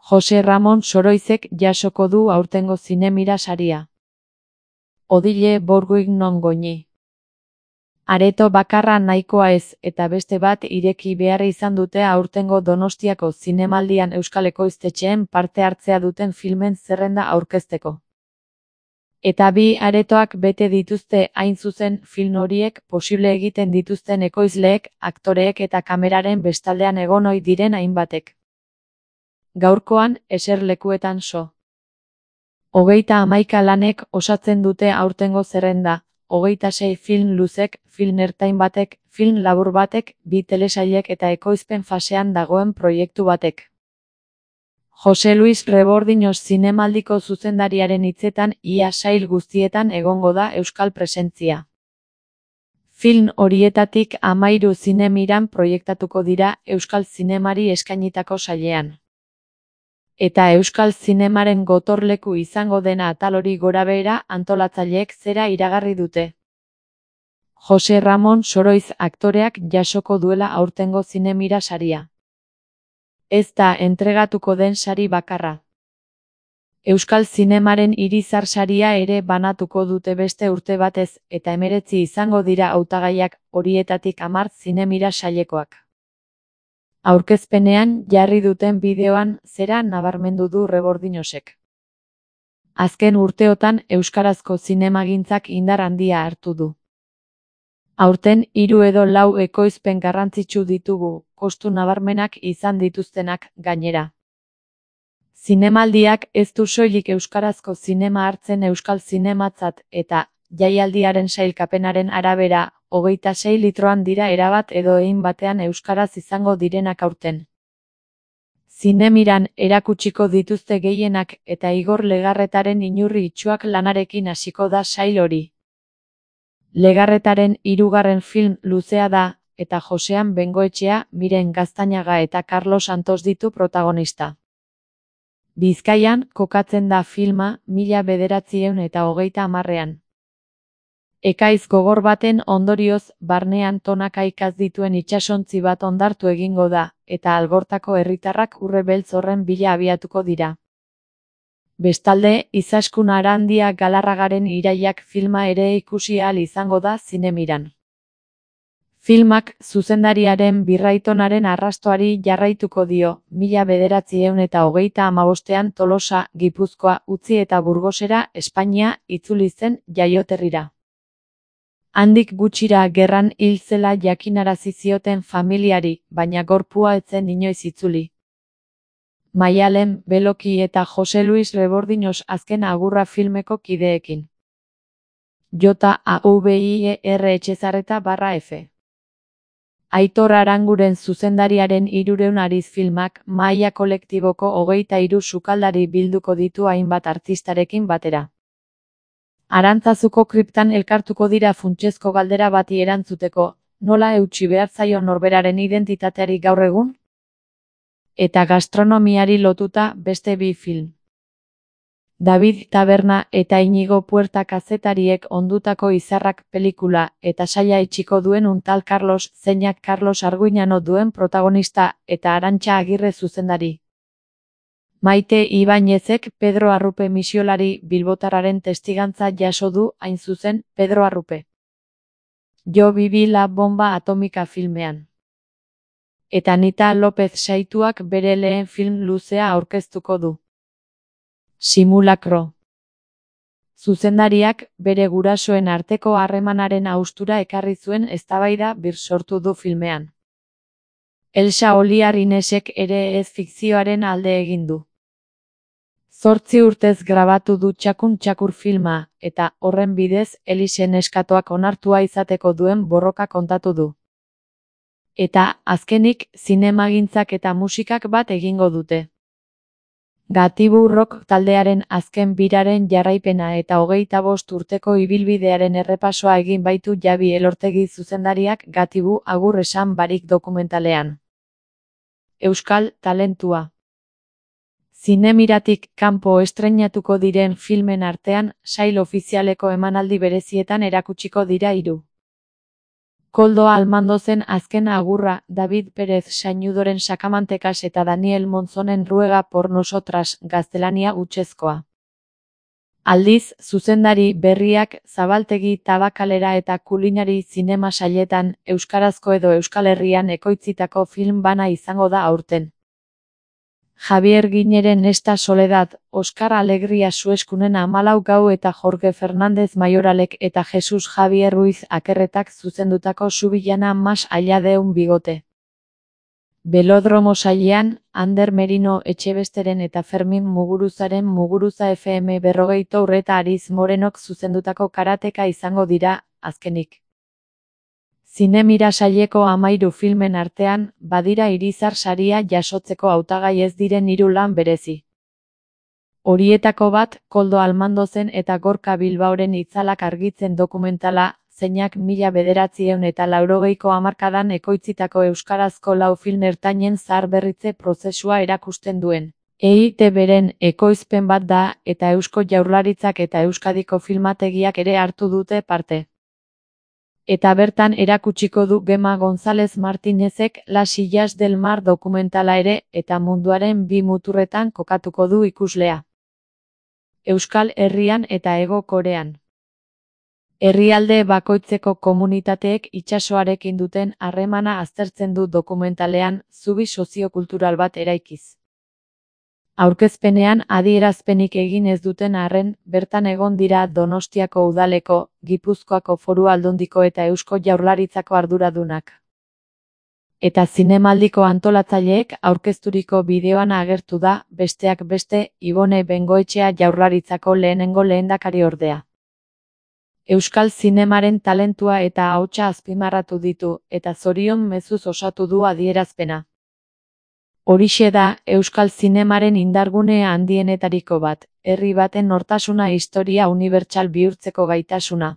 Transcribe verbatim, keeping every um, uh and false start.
Jose Ramon Soroizek jasoko du aurtengo Zinemira saria. Odile Borguig non goñi. Areto bakarra nahikoa ez, eta beste bat ireki behar izan dute aurtengo Donostiako zinemaldian euskal ekoiztetxeen parte hartzea duten filmen zerrenda aurkezteko. Eta bi aretoak bete dituzte hain zuzen film horiek posible egiten dituzten ekoizleek, aktoreek eta kameraren bestaldean egon ohi diren hainbatek. Gaurkoan, eserlekuetan so. Hogeita hamaika lanek osatzen dute aurtengo zerrenda, hogeita sei film luzek, film ertain batek, film labur batek, bi telesailek eta ekoizpen fasean dagoen proiektu batek. Jose Luis Rebordiños zinemaldiko zuzendariaren hitzetan ia sail guztietan egongo da euskal presentzia. Film horietatik hamairu Zinemiran proiektatuko dira euskal zinemari eskainitako sailean. Eta euskal zinemaren gotorleku izango dena atal hori gorabehera antolatzaileek zera iragarri dute. Jose Ramon Soroiz aktoreak jasoko duela aurtengo Zinemira saria. Ez da entregatuko den sari bakarra. Euskal zinemaren irizar saria ere banatuko dute beste urte batez, eta hemeretzi izango dira hautagaiak, horietatik hamar Zinemira sailekoak. Aurkezpenean jarri duten bideoan zera nabarmendu du Rebordiñosek. Azken urteotan euskarazko zinemagintzak indar handia hartu du. Aurten hiru edo lau ekoizpen garrantzitsu ditugu, kostu nabarmenak izan dituztenak gainera. Zinemaldiak ez du soilik euskarazko zinema hartzen euskal zinematzat eta jaialdiaren sailkapenaren arabera, hogeita sei litroan dira erabat edo egin batean euskaraz izango direnak aurten. Zinemiran erakutsiko dituzte gehienak eta Igor Legarretaren inurri itsuak lanarekin hasiko da sail hori. Legarretaren hirugarren film luzea da, eta Josean Bengoetxea, Miren Gaztañaga eta Carlos Santos ditu protagonista. Bizkaian kokatzen da filma mila bederatziehun eta hogeita hamarrean. Ekaiz gogor baten ondorioz, barnean tonaka ikaz dituen itsasontzi bat ondartu egingo da, eta Algortako herritarrak urre beltz horren bila abiatuko dira. Bestalde, Izaskun Arandia Galarragaren Irailak filma ere ikusi ahal izango da Zinemiran. Filmak zuzendariaren birraitonaren arrastoari jarraituko dio, mila bederatziehun eta hogeita hamabostean Tolosa, Gipuzkoa, utzi eta Burgosera, Espainia, itzuli zen jaioterrira. Handik gutxira gerran hil zela jakinarazi zioten familiari, baina gorpua ez zen inoiz itzuli. Maialen, Beloki eta Jose Luis Rebordiños azken agurra filmeko kideekin. J A V I E R Etxezarreta barra F. Aitor Aranguren zuzendariaren hirureun ariz filmak mahaia kolektiboko hogeita hiru sukaldari bilduko ditu hainbat artistarekin batera. Arantzazuko kriptan elkartuko dira funtsezko galdera bati erantzuteko, nola eutsi behar zaio norberaren identitateari gaur egun? Eta gastronomiari lotuta beste bi film. David Taberna eta Inigo Puerta kazetariek ondutako izarrak pelikula eta saia itxiko duen untal Carlos zeinak Carlos Arguiñano duen protagonista eta Arantxa Agirre zuzendari. Maite Ibañezek Pedro Arrupe misiolari bilbotarraren testigantza jaso du hain zuzen Pedro Arrupe. Jo vivi la bomba atomika filmean. Eta Anita López Saituak bere lehen film luzea aurkeztuko du. Simulakro. Zuzendariak bere gurasoen arteko harremanaren haustura ekarri zuen eztabaida bir sortu du filmean. Elsa Oliar Inesek ere ez fikzioaren alde egin du. Zortzi urtez grabatu du Txakun Txakur filma, eta horren bidez Elisen eskatoak onartua izateko duen borroka kontatu du. Eta, azkenik, zinemagintzak eta musikak bat egingo dute. Gatibu Rock taldearen azken biraren jarraipena eta hogeita bost urteko ibilbidearen errepasoa egin baitu Jabi Elortegi zuzendariak Gatibu agur esan barik dokumentalean. Euskal talentua. Zinemiratik kanpo estreinatuko diren filmen artean, sail ofizialeko emanaldi berezietan erakutsiko dira hiru. Koldo Almandozen azken agurra, David Pérez Sañudoren Sakamantekas eta Daniel Monzonen Ruega por nosotras gaztelania hutsezkoa. Aldiz, zuzendari berriak Zabaltegi Tabakalera eta Kulinari zinema sailetan euskarazko edo Euskal Herrian ekoitzitako film bana izango da aurten. Javier Guineren Esta Soledad, Oskar Alegria Sueskunen Hamalau Gau eta Jorge Fernández Mayoralek eta Jesus Javier Ruiz Akerretak zuzendutako Subillana más allá de un bigote. Belodromo sailean, Ander Merino Etxebesteren eta Fermin Muguruzaren Muguruza F M berrogeita urreta Ariz Morenok zuzendutako karateka izango dira, azkenik. Zinemira saileko hamairu filmen artean, badira Irizar saria jasotzeko hautagai ez diren hiru lan berezi. Horietako bat, Koldo Almandozen eta Gorka Bilbaoren itzalak argitzen dokumentala, zeinak mila bederatziehun eta laurogeiko hamarkadan ekoitzitako euskarazko lau film ertainen zaharberritze prozesua erakusten duen. E I Te Beren ekoizpen bat da, eta Eusko Jaurlaritzak eta Euskadiko filmategiak ere hartu dute parte. Eta bertan erakutsiko du Gema González Martínezek Las Illas del Mar dokumentala ere, eta munduaren bi muturretan kokatuko du ikuslea. Euskal Herrian eta Hego Korean. Herrialde bakoitzeko komunitateek itsasoarekin duten harremana aztertzen du dokumentalean, zubi soziokultural bat eraikiz. Aurkezpenean adierazpenik egin ez duten arren, bertan egon dira Donostiako udaleko, Gipuzkoako Foru Aldundiko eta Eusko Jaurlaritzako arduradunak. Eta zinemaldiko antolatzaileek aurkezturiko bideoan agertu da, besteak beste, Ibone Bengoetxea Jaurlaritzako lehenengo lehendakariordea. Euskal zinemaren talentua eta ahotsa azpimarratu ditu, eta zorion mezuz osatu du adierazpena. Horixe da, Euskal zinemaren indargune handienetariko bat, herri baten nortasuna historia unibertsal bihurtzeko gaitasuna.